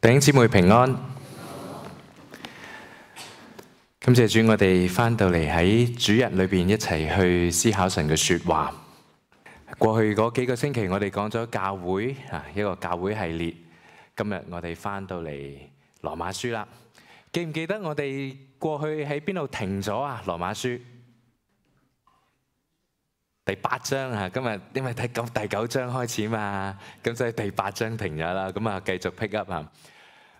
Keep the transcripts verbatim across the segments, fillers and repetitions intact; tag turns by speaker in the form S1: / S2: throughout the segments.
S1: 弟兄姊妹平安，感謝主，我哋翻到嚟喺主日裏邊一齊去思考神嘅說話。過去嗰幾個星期，我哋講咗教會啊，一個教會系列。今日我哋翻到嚟羅馬書啦。記唔記得我哋過去喺邊度停咗啊？羅馬書第八章啊，今日因為睇咁第九章開始嘛，咁所以第八章停咗啦。咁啊，繼續 pick up 啊。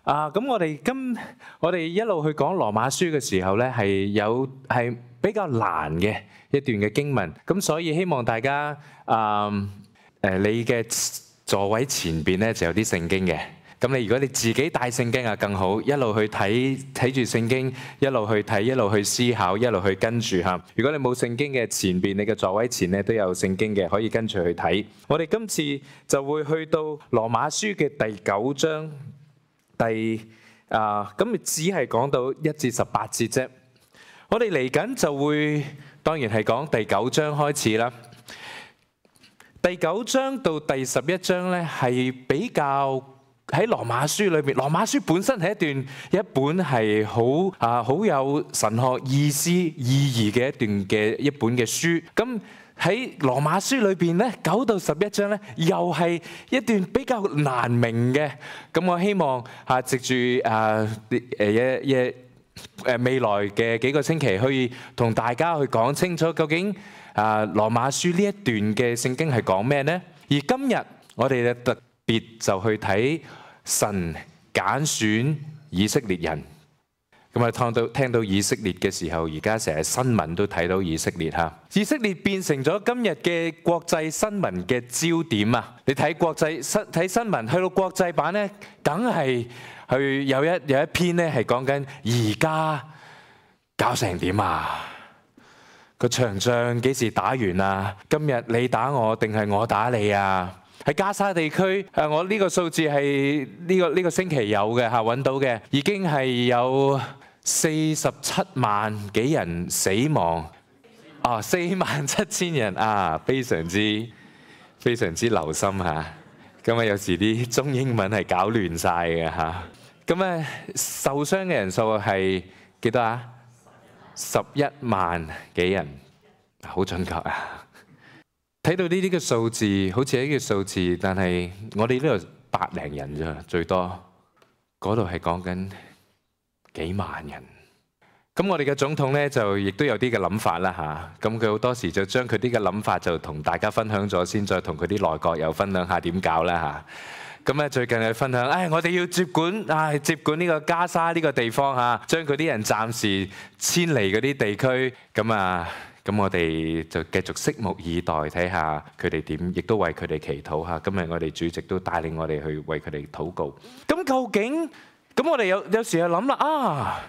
S1: 啊，咁我哋今我哋一路去講羅馬書嘅時候咧，係有係比較難嘅一段嘅經文。咁所以希望大家啊誒，你嘅座位前邊咧就有啲聖經嘅。咁你如果你自己帶聖經啊更好，一路去睇睇住聖經，一路去睇，一路去思考，一路去跟住嚇。如果你冇聖經嘅前邊，你嘅座位前咧都有聖經嘅，可以跟住去睇。我哋今次就會去到羅馬書嘅第九章第啊，咁只係講到一至十八節啫。我哋嚟緊就會當然係講第九章開始啦。第九章到第十一章咧係比較。喺羅馬書裏邊，羅馬書本身係一段一本係好啊好有神學意思意義嘅一段嘅一本嘅書。咁喺羅馬書裏邊咧，九到十一章咧，又係一段比較難明嘅。咁我希望啊，藉住啊誒一一誒未來嘅幾個星期，可以同大家去講清楚究竟啊羅馬書呢一段嘅聖經係講咩呢？而今日我哋特別就去睇神揀選以色列人，咁啊聽到聽到以色列嘅時候，而家成日新聞都睇到以色列嚇，以色列變成咗今日嘅國際新聞嘅焦點啊！你睇國際新睇新聞，去到國際版咧，梗係去有一有一篇咧係講緊而家搞成點啊？個場仗幾時打完啊？今日你打我定係我打你啊？喺加沙地區，誒我呢個數字係呢個呢個星期有嘅嚇，揾到嘅已經係有四十七萬幾人死亡，啊四萬七千人啊，非常之非常之留心嚇。咁啊有時啲中英文係搞亂晒嘅嚇。咁啊受傷嘅人數係幾多啊？十一萬幾人，好準確啊！睇到呢啲嘅數字，好似係一個數字，但係我哋呢度百零人咋，最多嗰度係講緊幾萬人。咁我哋嘅總統呢，就亦都有啲嘅諗法啦嚇。咁佢好多時就將佢啲嘅諗法就同大家分享咗先，再同佢啲內閣又分享下點搞啦嚇。咁咧最近係分享，唉，我哋要接管，唉，接管呢個加沙呢個地方嚇，將佢啲人暫時遷離嗰啲地區，咁啊。咁我哋就繼續拭目以待，睇下佢哋點，亦都為佢哋祈禱嚇。今日我哋主席都帶領我哋去為佢哋禱告。咁究竟，咁我哋有有時就諗啦，啊，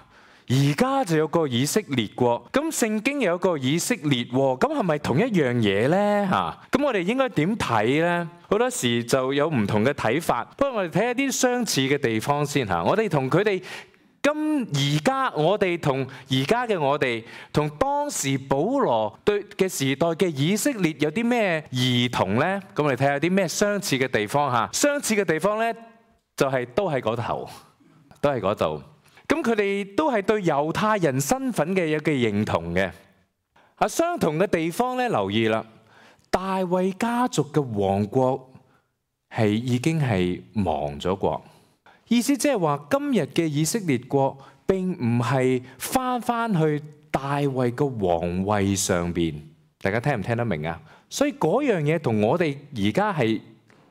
S1: 而家就有個以色列國，咁聖經有個以色列喎，咁係咪同一樣嘢呢？嚇，咁我哋應該點睇呢？好多時就有唔同嘅睇法。不過我哋睇下啲相似嘅地方先嚇。我哋同佢哋。咁而家我哋同而家嘅我哋同當時保羅對嘅時代嘅以色列有啲咩異同呢？咁我哋睇下啲咩相似嘅地方嚇。相似嘅地方呢，就係都喺嗰頭，都喺嗰度。咁佢哋都係對猶太人身份嘅有嘅認同嘅。啊，相同嘅地方呢，留意啦，大衛家族嘅王國係已經係亡咗國。意思即係話，今日嘅以色列國並唔係翻翻去大衛嘅皇位上邊，大家聽唔聽得明啊？所以嗰樣嘢同我哋而家係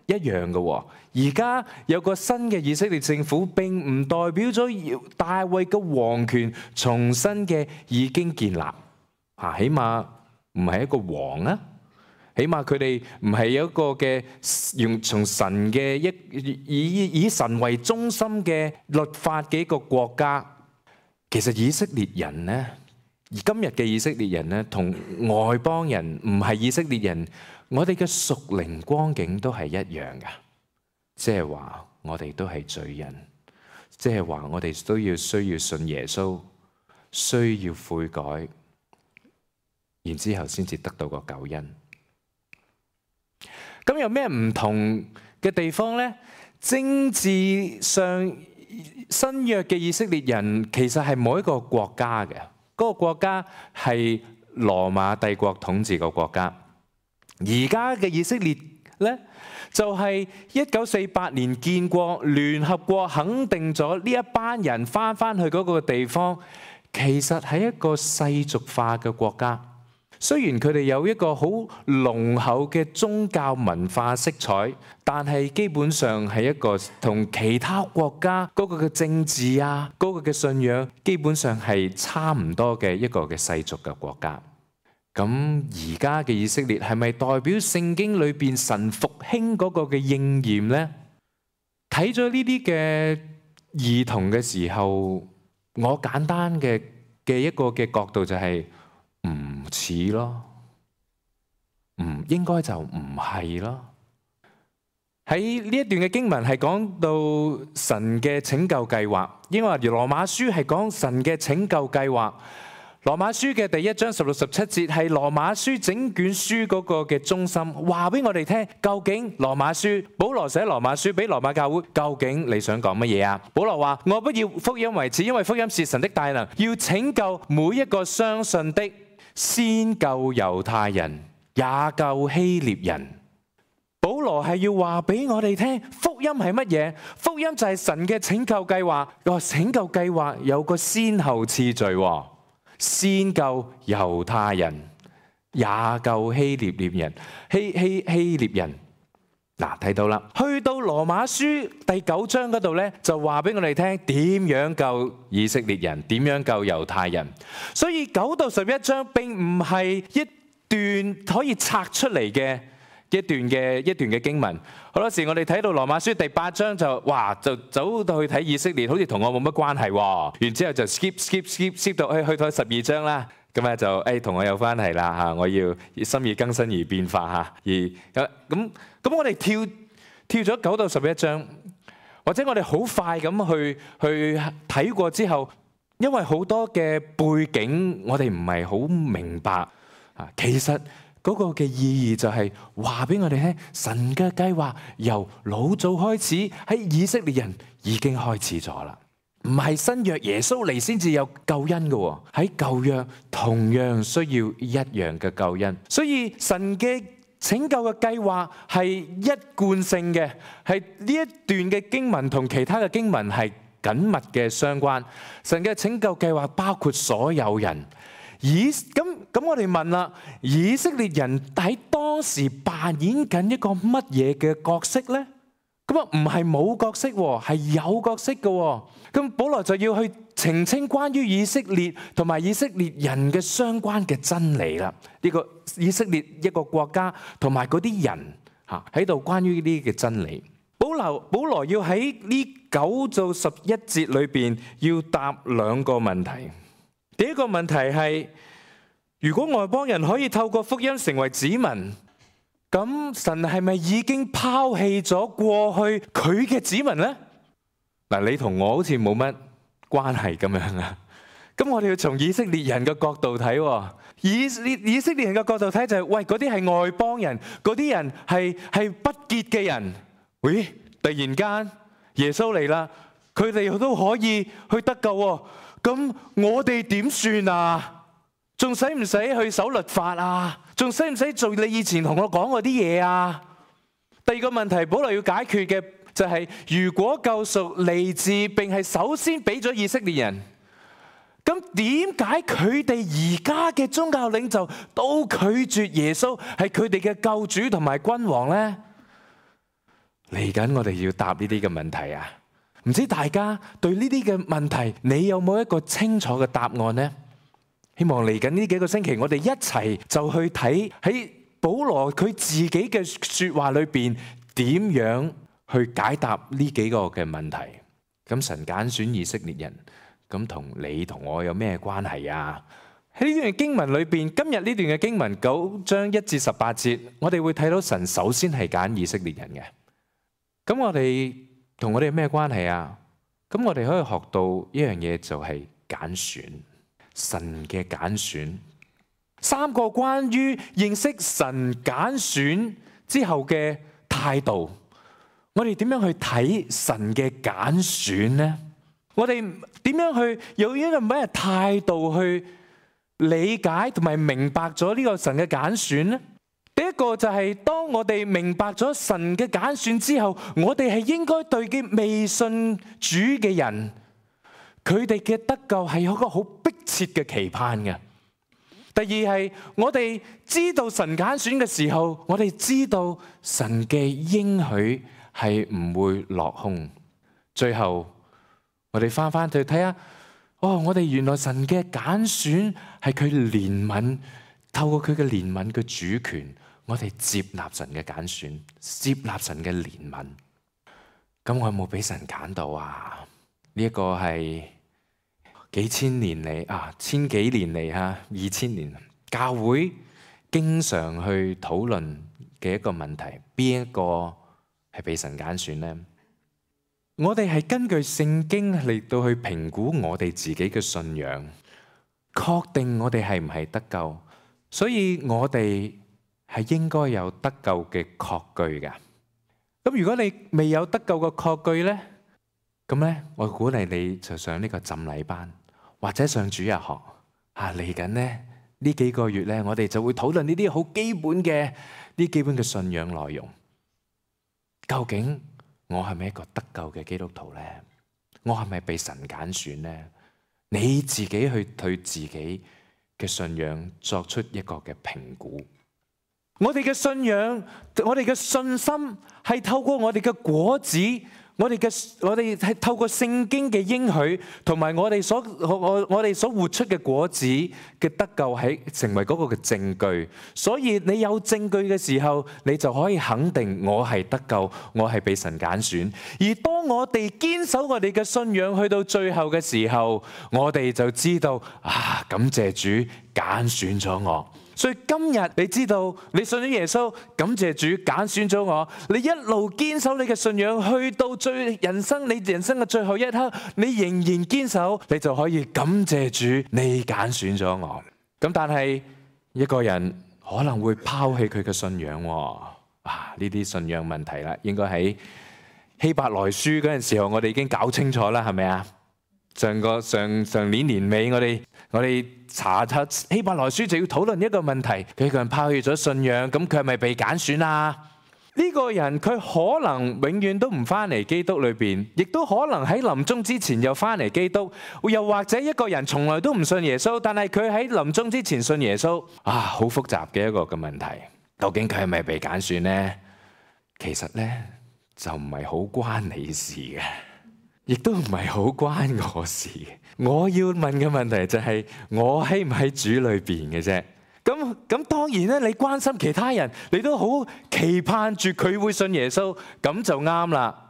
S1: 一樣嘅。而家有個新嘅以色列政府，並唔代表咗大衛嘅皇權重新嘅已經建立。啊，起碼唔係一個王啊。起碼佢哋唔係有一個嘅用從神嘅一以以神為中心嘅律法嘅一個國家。其實以色列人呢，而今日嘅以色列人呢，同外邦人唔係以色列人，我哋嘅屬靈光景都係一樣㗎。即係話我哋都係罪人，即係話我哋都要需要信耶穌，需要悔改，然之後先至得到個救恩。咁有咩唔同嘅地方呢？政治上新約嘅以色列人其實係冇一個國家嘅，嗰個國家係羅馬帝國統治個國家。而家嘅以色列呢，就係一九四八年建國，聯合國肯定咗呢一班人翻翻去嗰個地方，其實係一個世俗化嘅國家。雖然佢哋有一個好濃厚嘅宗教文化色彩，但係基本上係一個同其他國家嗰個嘅政治啊，嗰個嘅信仰基本上係差唔多嘅一個嘅世俗嘅國家。咁而家嘅以色列係咪代表聖經裏邊神復興嗰個嘅應驗呢？睇咗呢啲嘅兒童嘅時候，我簡單嘅嘅一個嘅角度就係、是。唔似咯，唔應該就唔係咯。喺呢一段嘅經文係講到神嘅拯救計劃，因為羅馬書係講神嘅拯救計劃。羅馬書嘅第一章十六十七節係羅馬書整卷書嗰個嘅中心，話俾我哋聽究竟羅馬書保羅寫羅馬書俾羅馬教會，究竟你想講乜嘢啊？保羅話：我不要福音為恥，因為福音是神的大能，要拯救每一個相信的。先救猶太人，也救希臘人。保羅係要話俾我哋聽，福音係乜嘢？福音就係神嘅拯救計劃。個拯救計劃有個先後次序，先救猶太人，也救希臘列人。希希希臘人。嗱，睇到啦，去到羅馬書第九章嗰度咧，就話俾我哋聽點樣救以色列人，點樣救猶太人。所以九到十一章並唔係一段可以拆出嚟嘅一段嘅一段嘅經文。好多時我哋睇到羅馬書第八章就哇就走到去睇以色列，好似同我冇乜關係喎。然之後就 skip skip skip skip 到去去到十二章啦。咁咧就誒同我有關係啦嚇，我要心意更新而變化嚇，而咁咁咁我哋跳跳咗九到十一章，或者我哋好快咁去去睇過之後，因為好多嘅背景我哋唔係好明白啊，其實嗰個嘅意義就係話俾我哋聽，神嘅計劃由老早開始喺以色列人已經開始咗啦。唔係新約耶穌嚟先至有救恩嘅，喺舊約同樣需要一樣嘅救恩。所以神嘅拯救嘅計劃係一貫性嘅，係呢一段嘅經文同其他嘅經文係緊密嘅相關。神嘅拯救計劃包括所有人。以咁咁，我哋問啦，以色列人喺當時扮演緊一個乜嘢嘅角色呢？咁啊，唔係冇角色，係有角色嘅。咁保羅就要去澄清關於以色列同埋以色列人嘅相關嘅真理啦。呢個以色列一個國家同埋嗰啲人嚇喺度關於呢啲嘅真理。保羅保羅要喺呢九到十一節裏邊要答兩個問題。第一個問題係：如果外邦人可以透過福音成為子民，咁神係咪已經拋棄咗過去佢嘅子民呢？嗱，你同我好似冇乜關係咁樣啊。咁我哋要從以色列人嘅角度睇，以以色列人嘅角度睇就係、是，喂，嗰啲係外邦人，嗰啲人係係不潔嘅人。喂，突然間耶穌嚟啦，佢哋都可以去得救喎。咁我哋點算啊？仲使唔使去守律法啊？仲使唔使做你以前同我講嗰啲嘢啊？第二個問題，保羅要解決嘅就係、是，如果救贖嚟自並係首先俾咗以色列人，咁點解佢哋而家嘅宗教領袖都拒絕耶穌係佢哋嘅救主同埋君王呢？嚟緊我哋要答呢啲嘅問題啊！唔知大家對呢啲嘅問題，你有冇一個清楚嘅答案呢？希望嚟緊呢幾個星期，我哋一齊就去睇喺保羅佢自己嘅說話裏邊，點樣去解答呢幾個嘅問題。咁神揀選以色列人，咁同你同我有咩關係啊？喺呢段經文裏邊，今日呢段嘅經文九章一至十八節，我哋會睇到神首先係揀以色列人嘅。咁我哋同我哋有咩關係啊？咁我哋可以學到一樣嘢，就係揀選。神嘅揀選，三個關於認識神揀選之後嘅態度，我哋點樣去睇神嘅揀選呢？我哋點樣去有一個咩態度去理解同埋明白咗呢個神嘅揀選呢？第一個就係當我哋明白咗神嘅揀選之後，我哋係應該對嘅未信主嘅人，佢哋嘅得救係有一個好迫切嘅期盼嘅。第二係我哋知道神揀選嘅時候，我哋知道神嘅應許係唔會落空。最後我哋翻翻去睇下，哦，我哋原來神嘅揀選係佢憐憫，透過佢嘅憐憫嘅主權，我哋接納神嘅揀選，接納神嘅憐憫。咁我有冇俾神揀到啊？呢一個係幾千年嚟啊，千幾年嚟吓，二千年教會經常去討論嘅一個問題，邊一個係被神揀選呢？我哋係根據聖經嚟到去評估我哋自己嘅信仰，確定我哋係唔係得救，所以我哋係應該有得救嘅確據㗎。咁如果你未有得救嘅確據呢，咁咧我鼓勵你就上呢個浸禮班，或者上主日學啊。嚟緊呢呢幾個月咧，我哋就會討論呢啲好基本嘅呢基本嘅信仰內容。究竟我係咪一個得救嘅基督徒呢？我係咪被神揀選呢？你自己去對自己嘅信仰作出一個嘅評估。我哋嘅信仰，我哋嘅信心係透過我哋嘅果子，我哋嘅我哋係透過聖經嘅應許，同埋我哋所我我哋所活出嘅果子嘅得救，係成為嗰個嘅證據。所以你有證據嘅時候，你就可以肯定我係得救，我係被神揀選。而當我哋堅守我哋嘅信仰去到最後嘅時候，我哋就知道啊，感謝主揀選咗我。所以今日你知道你信咗耶穌，感謝主揀選咗我。你一路堅守你嘅信仰，去到最人生你人生嘅最後一刻，你仍然堅守，你就可以感謝主，你揀選咗我。咁但係一個人可能會拋棄佢嘅信仰喎。啊，呢啲信仰問題啦，應該喺希伯來書嗰陣時候，我哋已經搞清楚啦，係咪啊？上個上上年年尾，我哋我哋查查希伯來書就要討論一個問題：佢個人拋棄咗信仰，咁佢係咪被揀選啊？呢個人佢可能永遠都唔翻嚟基督裏邊，亦都可能喺臨終之前又翻嚟基督。又或者一個人從來都唔信耶穌，但係佢喺臨終之前信耶穌。啊，好複雜嘅一個嘅問題，究竟佢係咪被揀選呢？其實呢，就唔係好關你事嘅。亦都唔係好關我事嘅。我要問嘅問題就係我喺唔喺主裏邊嘅啫。咁咁當然咧，你關心其他人，你都好期盼住佢會信耶穌，咁就啱啦。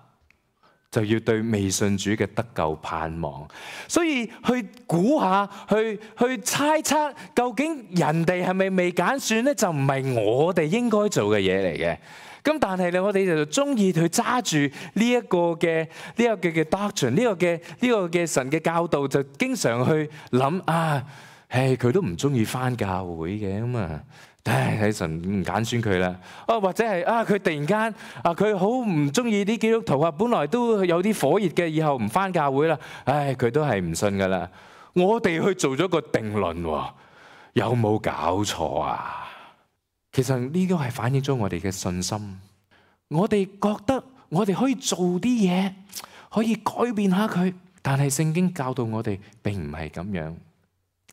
S1: 就要對未信主嘅得救盼望。所以去估下，去去猜測，究竟人哋係咪未揀選咧？就唔係我哋應該做嘅嘢嚟嘅。咁但係咧，我哋就中意去揸住呢一個嘅呢個嘅嘅 doctrine，呢個嘅呢個嘅神嘅教導，就經常去諗啊，唉，佢都唔中意返教會嘅咁啊，唉，睇神唔揀選佢啦。啊，或者係啊，佢突然間啊，佢好唔中意啲基督徒啊，本來都有啲火熱嘅，以後唔返教會啦，唉，佢都係唔信噶啦。我哋去做咗個定論喎，有冇搞錯啊？其實呢個係反映咗我哋嘅信心，我哋覺得我哋可以做啲嘢，可以改變下佢，但係聖經教導我哋並唔係咁樣。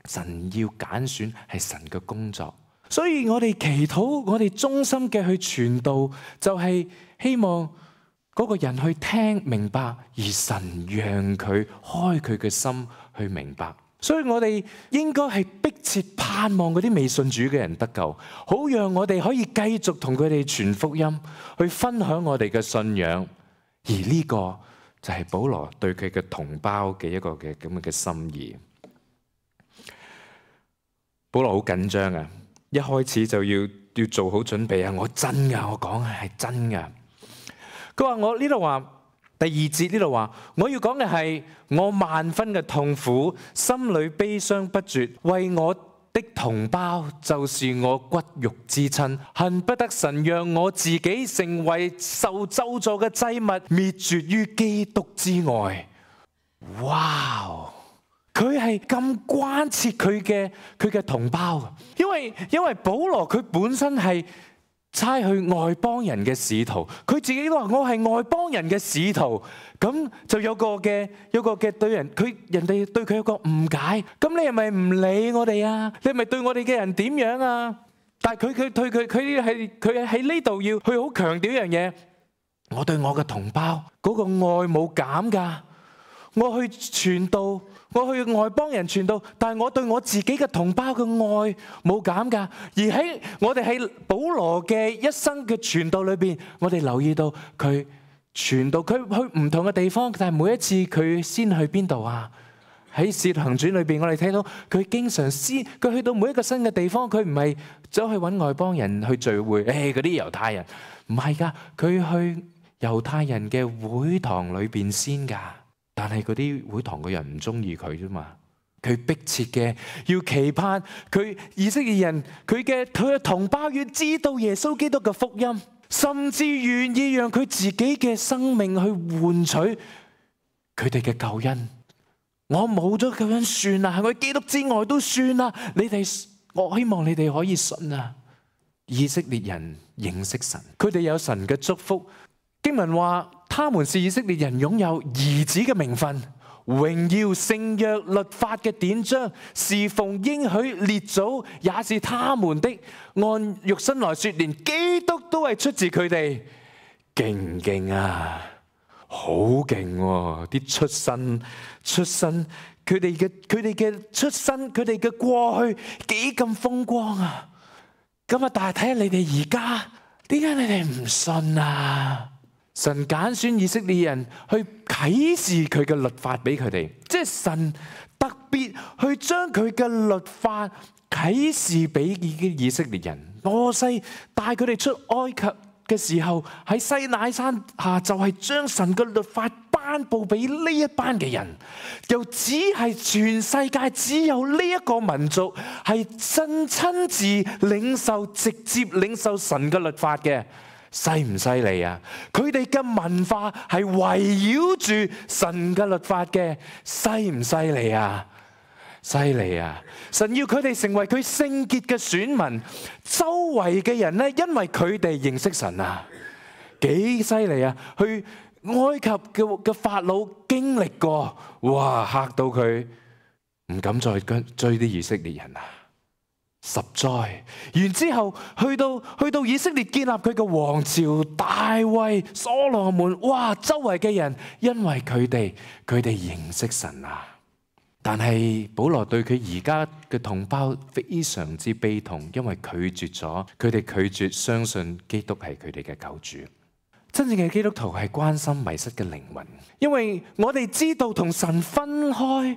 S1: 神要揀選係神嘅工作，所以我哋祈禱，我哋衷心嘅去傳道，就係希望嗰個人去聽明白，而神讓佢開佢嘅心去明白。所以我哋應該係迫切盼望嗰啲未信主嘅人得救，好讓我哋可以繼續同佢哋傳福音，去分享我哋嘅信仰。而呢個就係保羅對佢嘅同胞嘅一個嘅咁嘅心意。保羅好緊張啊！一開始就要要做好準備啊！我真噶，我講係真噶。佢話我呢度話。第二節呢度話，我要講嘅係我萬分嘅痛苦，心裏悲傷不絕，為我的同胞，就是我骨肉之親，恨不得神讓我自己成為受咒詛嘅祭物，滅絕於基督之外。哇！佢係咁關切佢嘅佢嘅同胞，因為因為保羅佢本身係差去外邦人嘅使徒，佢自己都話我係外邦人嘅使徒，咁就有個嘅有個嘅對人佢人哋對佢有個誤解，咁你係咪唔理我哋啊？你係咪對我哋嘅人點樣啊？但係佢佢對佢佢係佢喺呢度要去好強調一樣嘢，我對我嘅同胞嗰個愛冇減㗎，我去傳道。我去外邦人傳道，但係我對我自己嘅同胞嘅愛冇減㗎。而喺我哋喺保羅嘅一生嘅傳道裏邊，我哋留意到佢傳道，佢去唔同嘅地方，但係每一次佢先去邊度啊？喺《使徒行傳》裏邊，我哋睇到佢經常先，佢去到每一個新嘅地方，佢唔係走去揾外邦人去聚會，誒嗰啲猶太人，唔係㗎，佢去猶太人嘅會堂裏邊先㗎。但係嗰啲會堂嘅人唔中意佢啫嘛，佢迫切嘅要期盼佢以色列人佢嘅佢嘅同胞要知道耶穌基督嘅福音，甚至願意讓佢自己嘅生命去換取佢哋嘅救恩。我冇咗救恩算啦，喺我基督之外都算啦。你哋，我希望你哋可以信啊！以色列人認識神，佢哋有神嘅祝福。經文話，他們是以色列人擁有兒子嘅名分、榮耀、聖約、律法嘅典章，侍奉應許列祖，也是他們的。按肉身來說，連基督都係出自佢哋，勁唔勁啊？好勁喎！啲出身、出身，佢哋嘅佢哋嘅出身，佢哋嘅過去幾咁風光啊！咁啊，但係睇下你哋而家，點解你哋唔信啊？神揀選以色列人去啟示佢嘅律法俾佢哋，即係神特別去將佢嘅律法啟示俾以色列人。摩西帶佢哋出埃及嘅時候，喺西乃山下就係將神嘅律法頒布俾呢一班嘅人，又只係全世界只有呢一個民族係真親自領受、直接領受神嘅律法嘅。犀唔犀利啊？佢哋嘅文化係圍繞住神嘅律法嘅，犀唔犀利啊？犀利啊！神要佢哋成為佢聖潔嘅選民，周圍嘅人呢，因為佢哋認識神啊，幾犀利啊！去埃及嘅嘅法老經歷過，哇，嚇到佢唔敢再跟追啲以色列人啊！十災，然之後去到去到以色列建立佢嘅王朝，大衛、所羅門，哇！周圍嘅人因為佢哋佢哋認識神啊，但係保羅對佢而家嘅同胞非常之悲痛，因為拒絕咗佢哋拒絕相信基督係佢哋嘅救主。真正嘅基督徒係關心迷失嘅靈魂，因為我哋知道同神分開，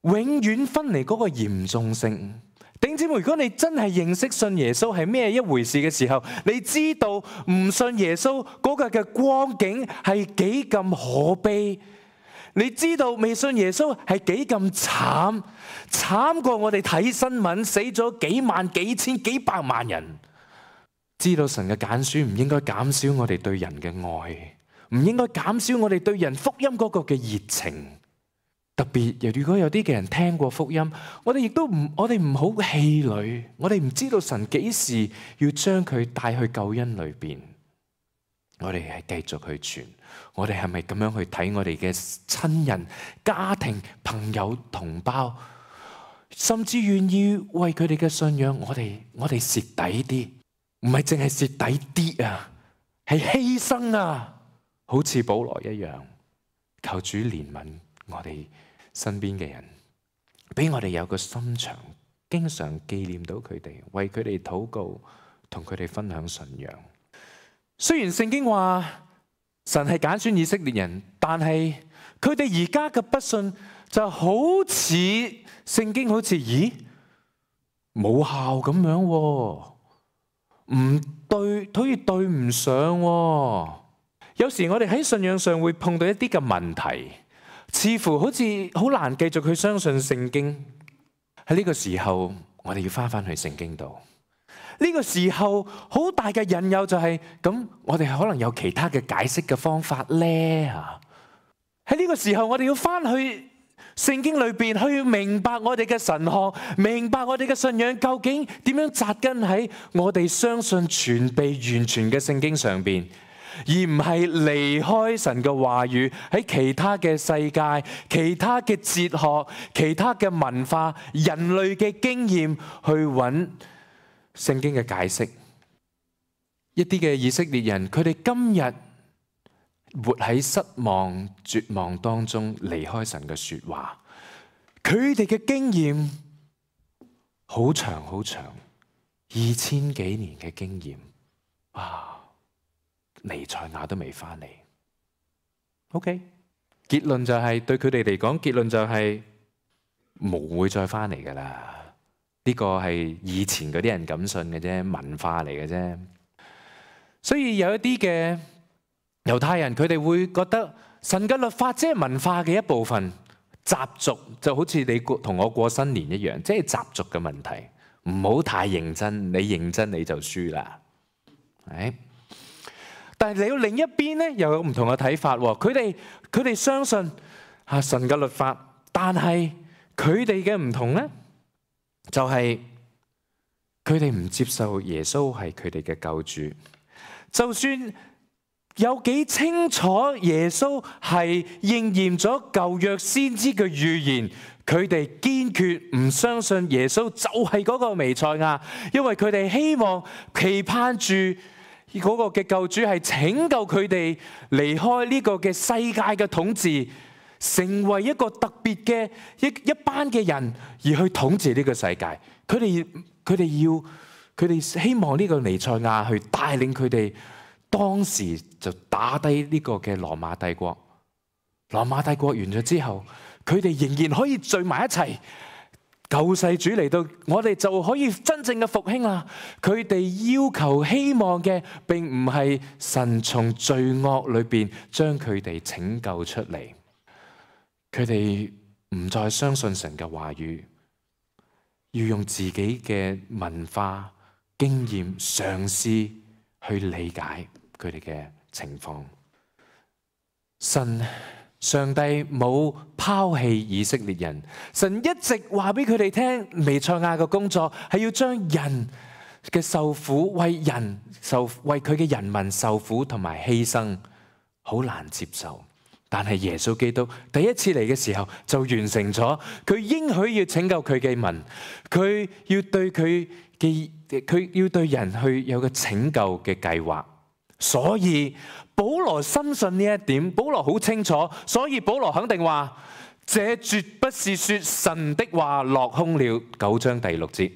S1: 永遠分離嗰個嚴重性。弟兄姊妹，如果你真係認識信耶穌係咩一回事嘅時候，你知道唔信耶穌嗰個嘅光景係幾咁可悲，你知道未信耶穌係幾咁慘，慘過我哋睇新聞死咗幾萬、幾千、幾百萬人。知道神嘅揀選唔應該減少我哋對人嘅愛，唔應該減少我哋對人福音嗰個嘅熱情。特別，如果有啲嘅人聽過福音，我哋亦都唔，我哋唔好氣餒，我哋唔知道神幾時要將佢帶去救恩裏邊，我哋係繼續去傳。我哋係咪咁樣去睇我哋嘅親人、家庭、朋友、同胞，甚至願意為佢哋嘅信仰，我哋我哋蝕底啲，唔係淨係蝕底啲啊，係犧牲啊，好似保羅一樣，求主憐憫我哋身邊嘅人，俾我哋有個心腸，經常紀念到佢哋，為佢哋禱告，同佢哋分享信仰。雖然聖經話神係揀選以色列人，但係佢哋而家嘅不信就好似聖經好似咦冇效咁樣，唔對，好似對唔上。有時我哋喺信仰上會碰到一啲嘅問題，似乎好似好難繼續去相信聖經。喺呢個時候，我哋要翻翻去聖經度。呢個時候好大嘅引誘就係咁，我哋可能有其他嘅解釋嘅方法咧吓。喺呢個時候，我哋要翻去聖經裏邊去明白我哋嘅神學，明白我哋嘅信仰究竟點樣扎根喺我哋相信全備完全嘅聖經上邊，而唔係離開神嘅話語喺其他嘅世界、其他嘅哲學、其他嘅文化、人類嘅經驗去揾聖經嘅解釋。一啲嘅以色列人，佢哋今日活喺失望、絕望當中，離開神嘅說話。佢哋嘅經驗好長好長，二千幾年嘅經驗，哇！彌賽亞都未翻嚟。OK， 結論就係、是、對佢哋嚟講，結論就係、是、冇會再翻嚟噶啦。呢個係以前嗰啲人咁信嘅啫，文化嚟嘅啫。所以有一啲嘅猶太人，佢哋會覺得神嘅律法即係文化嘅一部分，習俗就好似你同我過新年一樣，即係習俗嘅問題，唔好太認真，你認真你就輸啦。係，但係你要另一邊咧，又有唔同嘅睇法。佢哋佢哋相信啊神嘅律法，但係佢哋嘅唔同咧，就係佢哋唔接受耶穌係佢哋嘅救主。就算有幾清楚耶穌係應驗咗舊約先知嘅預言，佢哋堅決唔相信耶穌就係嗰個彌賽亞，因為佢哋希望期盼住嗰個嘅救主係拯救佢哋離開呢個嘅世界嘅統治，成為一個特別嘅一一班嘅人而去統治呢個世界。佢哋佢哋要。佢哋希望呢個彌賽亞去帶領佢哋，當時就打低呢個嘅羅馬帝國。羅馬帝國完咗之後，佢哋仍然可以聚埋一齊。救世主嚟到，我哋就可以真正嘅復興啦。佢哋要求希望嘅並唔係神從罪惡裏邊將佢哋拯救出嚟，佢哋唔再相信神嘅話語，要用自己嘅文化經驗嘗試去理解佢哋嘅情況。神上帝冇拋棄以色列人，神一直話俾佢哋聽，彌賽亞嘅工作係要將人嘅受苦，為人受為佢嘅人民受苦同埋犧牲，好難接受。但係耶穌基督第一次嚟嘅時候就完成咗，佢應許要拯救佢嘅民，佢要對佢嘅佢要對人去有個拯救嘅計劃。所以保羅深信呢一點，保羅好清楚，所以保羅肯定話，這絕不是說神的話落空了。九章第六節，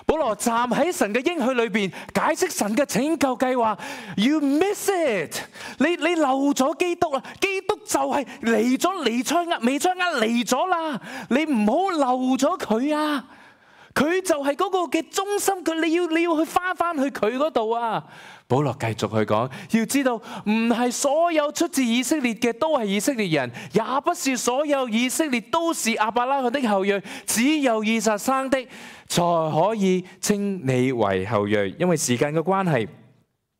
S1: 保羅站喺神嘅應許裏邊解釋神嘅拯救計劃。You miss it， 你你漏咗基督啦！基督就係嚟咗彌賽亞，彌賽亞嚟咗啦！你唔好漏咗佢啊！佢就係嗰個嘅中心，佢你要你要去翻翻去佢嗰度啊！保羅繼續去講，要知道唔係所有出自以色列嘅都係以色列人，也不是所有以色列都是亞伯拉罕的後裔，只有以撒生的才可以稱你為後裔。因為時間嘅關係，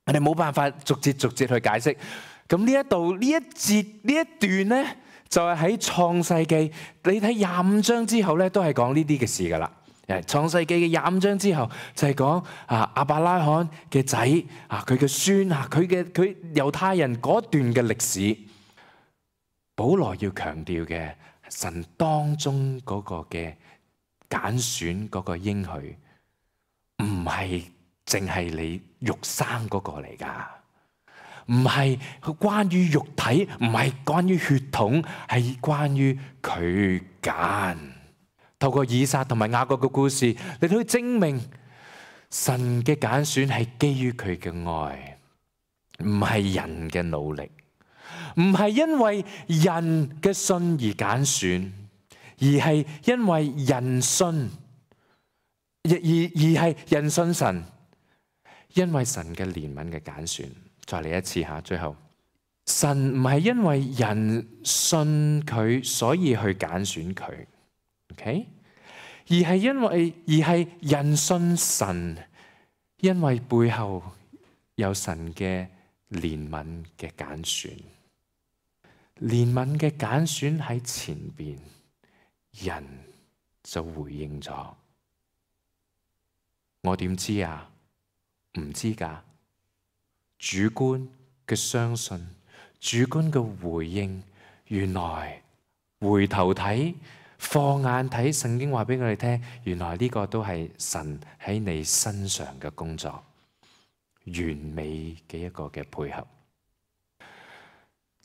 S1: 我哋冇辦法逐節逐節去解釋。咁呢一度呢一節呢一段呢，就係喺創世記，你睇廿五章之後呢，都係講呢啲嘅事噶啦。創世記嘅廿五章之後就係講啊亞伯拉罕嘅仔啊，佢嘅孫啊，佢嘅佢猶太人嗰段嘅歷史。保羅要強調嘅神當中嗰個嘅揀選嗰個應許，唔係淨係你肉生嗰個嚟噶，唔係關於肉體，唔係關於血統，係關於佢揀。透過以撒同埋雅各嘅故事，你可以證明神嘅揀選係基於佢嘅愛，唔係人嘅努力，唔係因為人嘅信而揀選，而係因為人信，而而而係人信神，因為神嘅憐憫嘅揀選。再嚟一次吓，最後神唔係因為人信佢所以去揀選佢。Okay? 而係因為而係人信神，因為背後有神嘅憐憫嘅揀選。憐憫嘅揀選喺前邊，人就回應咗。我點知啊？唔知㗎。主觀嘅相信，主觀嘅回應，原來回頭睇，放眼睇，聖經話俾我哋聽，原來呢個都係神喺你身上嘅工作，完美嘅一個嘅配合。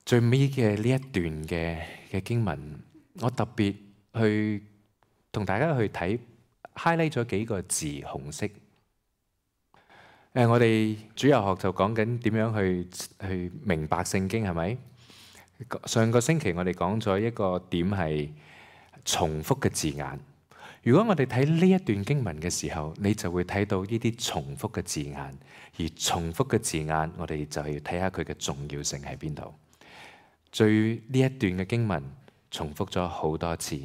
S1: 最尾嘅呢一段嘅嘅經文，我特別去同大家去睇 highlight 咗幾個字，紅色。誒，我哋主日學就講緊點樣去去明白聖經，係咪？上個星期我哋講咗一個點係重複嘅字眼。如果我哋睇呢一段經文嘅時候，你就會睇到呢啲重複嘅字眼，而重複嘅字眼，我哋就要睇下佢嘅重要性喺邊度。最呢一段嘅經文重複咗好多次，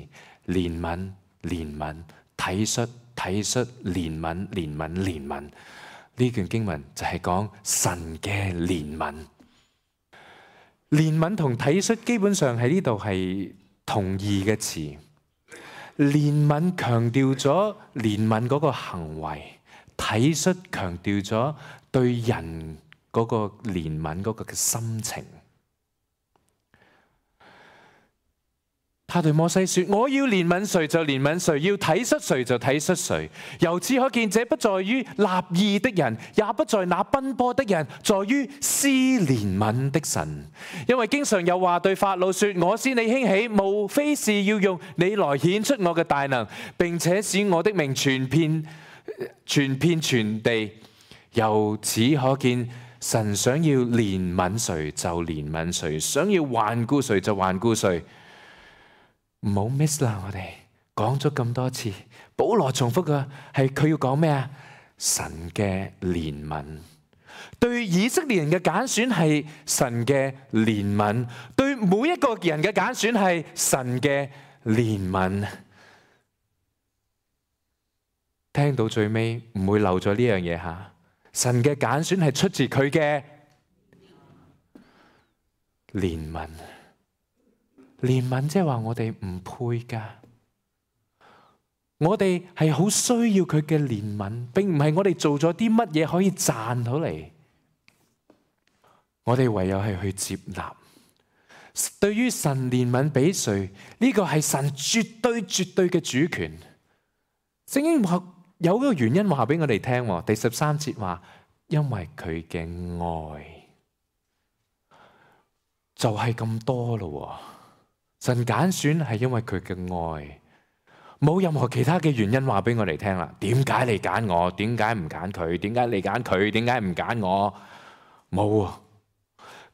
S1: 憐憫、憐憫、體恤、體恤、憐憫、憐憫、憐憫。呢段經文就係講神嘅憐憫，憐憫同體恤基本上喺呢度係同義嘅詞。憐憫強調咗憐憫嗰個行為，體恤強調咗對人嗰個憐憫嗰個嘅心情。他對摩西說：我要憐憫誰就憐憫誰，要體恤誰就體恤誰。由此可見，這不在於立義的人，也不在那奔波的人，在於施憐憫的神。因為經常有話對法老說：我使你興起，無非是要用你來顯出我嘅大能，並且使我的名傳遍傳遍全地。由此可見，神想要憐憫誰就憐憫誰，想要環顧誰就環顧誰。唔好 miss 啦！我哋講咗咁多次，保羅重複嘅係佢要講咩啊？神嘅憐憫，對以色列人嘅揀選係神嘅憐憫，對每一個人嘅揀選係神嘅憐憫。聽到最尾唔會漏咗呢樣嘢吓，神嘅揀選係出自佢嘅憐憫。憐憫即係話我哋唔配噶，我哋係好需要佢嘅憐憫，並唔係我哋做咗啲乜嘢可以賺到嚟，我哋唯有係去接納。對於神憐憫俾誰，呢個係神絕對絕對嘅主權。聖經話有一個原因話俾我哋聽，第十三節話，因為佢嘅愛就係咁多咯。神揀選係因為佢嘅愛，冇任何其他嘅原因話俾我哋聽啦。點解你揀我？點解唔揀佢？點解你揀佢？點解唔揀我？冇啊！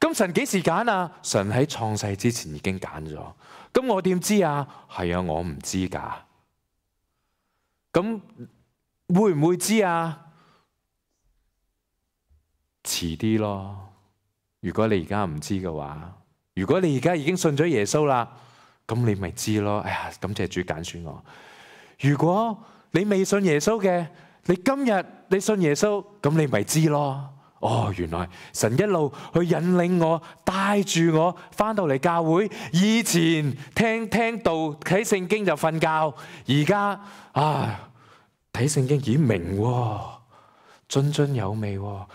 S1: 咁神幾時揀啊？神喺創世之前已經揀咗。咁我點知啊？係啊，我唔知噶。咁會唔會知啊？遲啲咯。如果你而家唔知嘅話。如果你而家已經信咗耶穌啦，咁你咪知咯。哎呀，感謝主揀選我。如果你未信耶穌嘅，你今日你信耶穌，咁你咪知咯。哦，原來神一路去引領我，帶住我翻到嚟教會。以前聽聽道睇聖經就瞓覺，而家啊睇聖經已明喎，津津有味喎。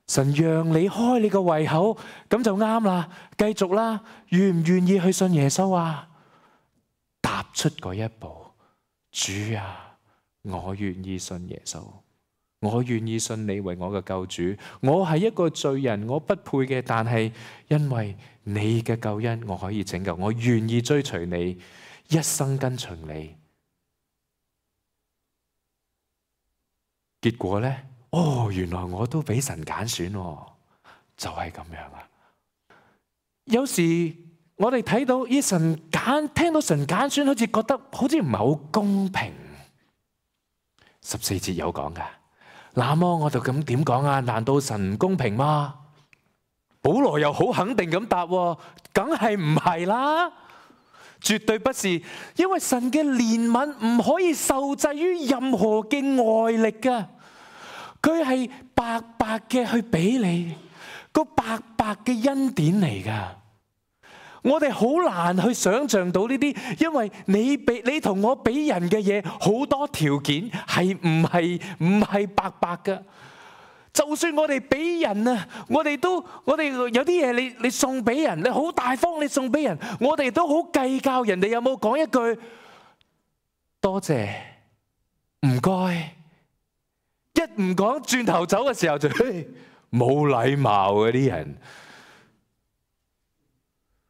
S1: 神讓你開你個胃口，咁就啱啦，繼續啦。願唔願意去信耶穌啊？踏出嗰一步，主啊，我願意信耶穌，我願意信你為我嘅救主。我係一個罪人，我不配嘅，但係因為你嘅救恩，我可以拯救。我願意追隨你，一生跟隨你。結果呢？哦，原來我都俾神揀選，就係咁樣啊！有時我哋睇到依神揀，聽到神揀選，好似覺得好似唔係好公平。十四節有講噶，那麼我就咁點講啊？難道神唔公平嗎？保羅又好肯定咁答，梗係唔係啦，絕對不是，因為神嘅憐憫唔可以受制於任何嘅外力噶。佢係白白嘅去俾你，個白白嘅恩典嚟噶。我哋好難去想像到呢啲，因為你俾你同我俾人嘅嘢好多條件係唔係唔係白白㗎。就算我哋俾人啊，我哋都我哋有啲嘢你你送俾人，你好大方你送俾人，我哋都好計較人哋有冇講一句多謝唔該。一唔講轉頭走嘅時候就冇禮貌嗰啲人。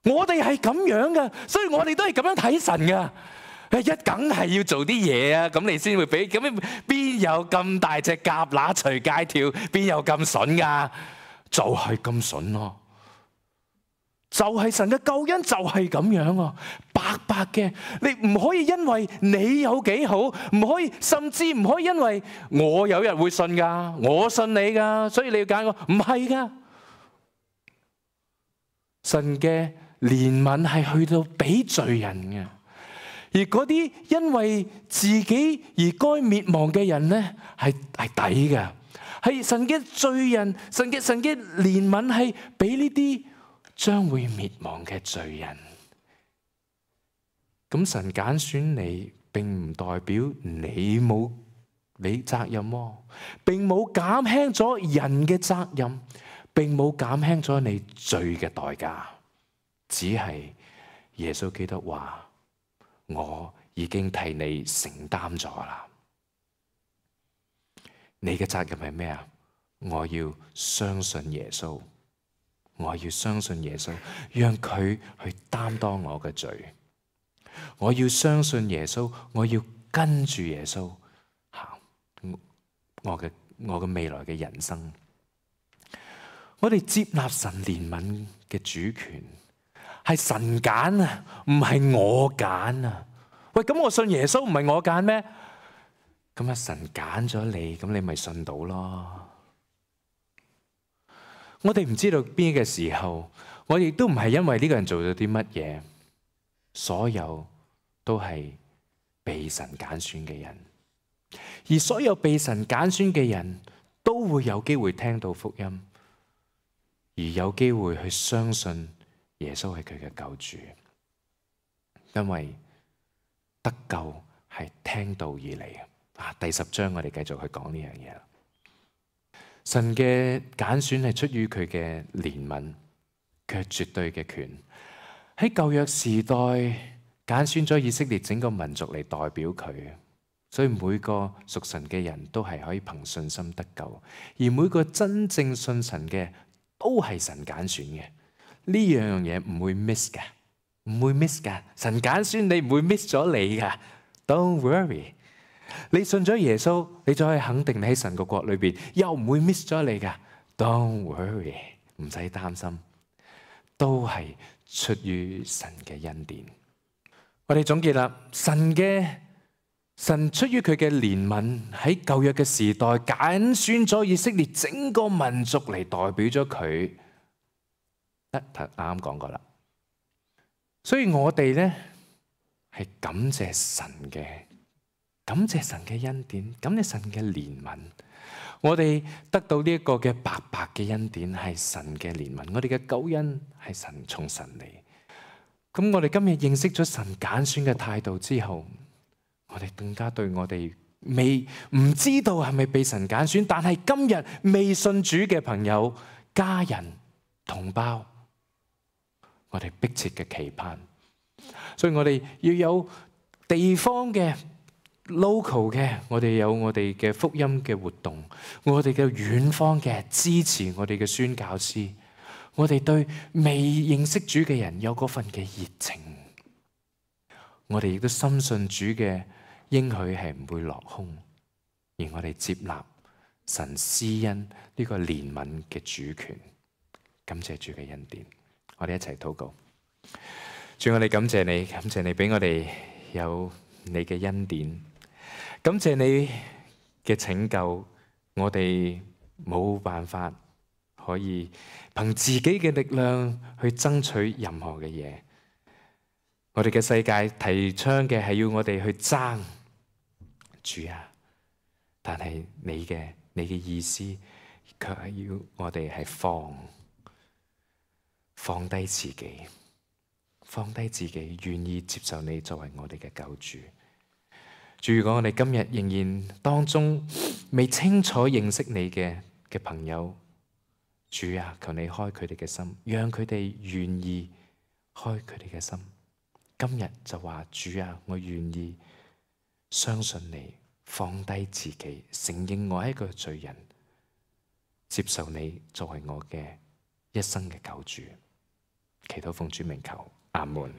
S1: 我哋係咁樣噶，所以我哋都係咁樣睇神噶。一梗係要做啲嘢啊，咁你先會俾。咁邊有咁大隻蛤乸隨街跳？邊有咁筍噶？就係咁筍咯。就係神嘅救恩就係咁樣啊，白白嘅。你唔可以因為你有幾好，唔可以，甚至唔可以因為我有日會信噶，我信你噶，所以你要揀我。唔係噶，神嘅憐憫係去到俾罪人嘅。而嗰啲因為自己而該滅亡嘅人呢，係係抵嘅，係神嘅罪人，神嘅神嘅憐憫係俾呢啲將會滅亡嘅罪人。咁神揀選你，並唔代表你冇你責任喎，並冇減輕咗人嘅責任，並冇減輕咗你罪嘅代價，只係耶穌基督話。我已經替你承擔咗啦。你嘅責任係咩啊？我要相信耶穌，我要相信耶穌，讓佢去擔當我嘅罪。我要相信耶穌，我要跟住耶穌行我嘅我嘅未來嘅人生。我哋接納神憐憫嘅主權。係神揀啊，唔係我揀啊！喂，咁我信耶穌唔係我揀咩？咁啊，神揀咗你，咁你咪信到咯。我哋唔知道邊嘅時候，我亦都唔係因為呢個人做咗啲乜嘢，所有都係被神揀選嘅人，而所有被神揀選嘅人都會有機會聽到福音，而有機會去相信。耶穌係佢嘅救主，因為得救係聽道而嚟啊！第十章我哋繼續去講呢樣嘢。神嘅揀選係出於佢嘅憐憫，佢係絕對嘅權。喺舊約時代揀選咗以色列整個民族嚟代表佢，所以每個屬神嘅人都係可以憑信心得救，而每個真正信神嘅都係神揀選嘅。呢樣嘢唔會 miss 㗎，唔會 miss 㗎。神揀選你唔會 miss 咗你㗎。Don't worry，你信咗耶穌，你就可以肯定你喺神個國裏邊，又唔會 miss 咗你㗎。Don't worry，唔使擔心，都係出於神嘅恩典。我哋總結啦，神嘅神出於佢嘅憐憫，喺舊約嘅時代揀選咗以色列整個民族嚟代表咗佢。啱啱講過啦，所以我哋咧係感謝神嘅，感謝神嘅恩典，感謝神嘅憐憫。我哋得到呢一個嘅白白嘅恩典係神嘅憐憫，我哋嘅救恩係神從神嚟。咁我哋今日認識咗神揀選嘅態度之後，我哋更加對我哋未唔知道係咪被神揀選，但係今日未信主嘅朋友、家人、同胞，我哋迫切嘅期盼，所以我哋要有地方嘅 local 嘅，我哋有我哋嘅福音嘅活動，我哋嘅遠方嘅支持我哋嘅宣教師，我哋對未認識主嘅人有嗰份嘅熱情，我哋亦都深信主嘅應許係唔會落空，而我哋接納神施恩呢個憐憫嘅主權，感謝主嘅恩典。我哋一齊禱告。主，我哋感謝你，感謝你俾我哋有你嘅恩典，感謝你嘅拯救。我哋冇辦法可以憑自己嘅力量去爭取任何嘅嘢。我哋嘅世界提倡嘅係要我哋去爭，主啊！但係你嘅你嘅意思，卻係要我哋係放。放低自己，放低自己，願意接受你作為我哋嘅救主。主，如果我哋今日仍然當中未清楚認識你嘅嘅朋友，主啊，求你開佢哋嘅心，讓佢哋願意開佢哋嘅心。今日就話，主啊，我願意相信你，放低自己，承認我係一個罪人，接受你作為我嘅一生嘅救主。祈禱奉主名求，阿門。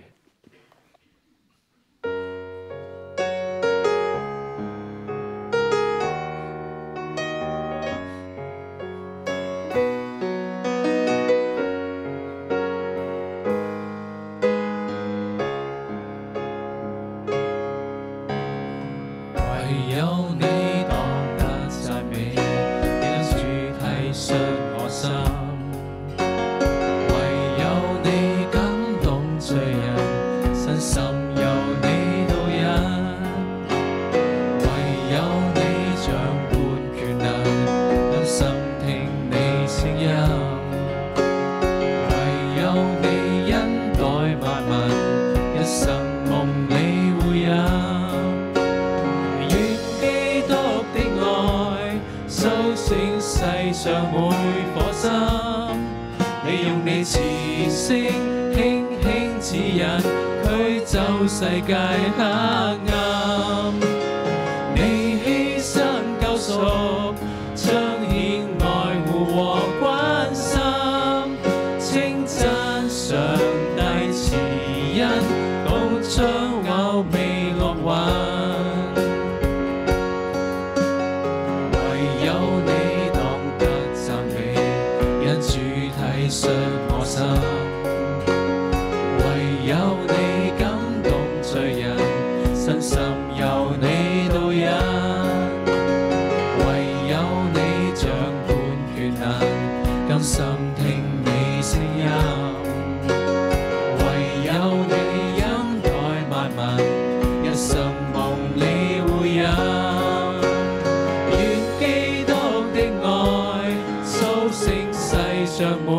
S2: 世界黑暗，你犧牲救贖，彰顯愛護和關心，稱讚上帝慈恩，共將我未落運。唯有你當得讚美，因主體恤我心。唯有你罪人身心由你導引，唯有你掌管權能，甘心聽你聲音。唯有你恩待萬民，一生蒙你護蔭。願基督的愛蘇醒世上每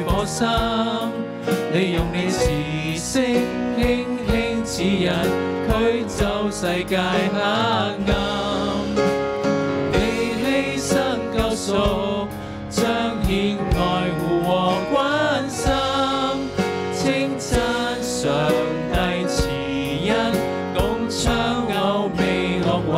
S2: 顆心，你用你慈聲輕輕指引，驅走世界黑暗。你犧牲救贖，彰顯愛護和關心，稱讚上帝慈恩，共唱歐美樂韻。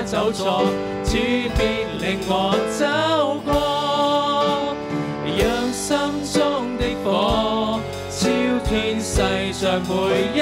S2: 走錯，主必令我走過，讓心中的火燒天世上每一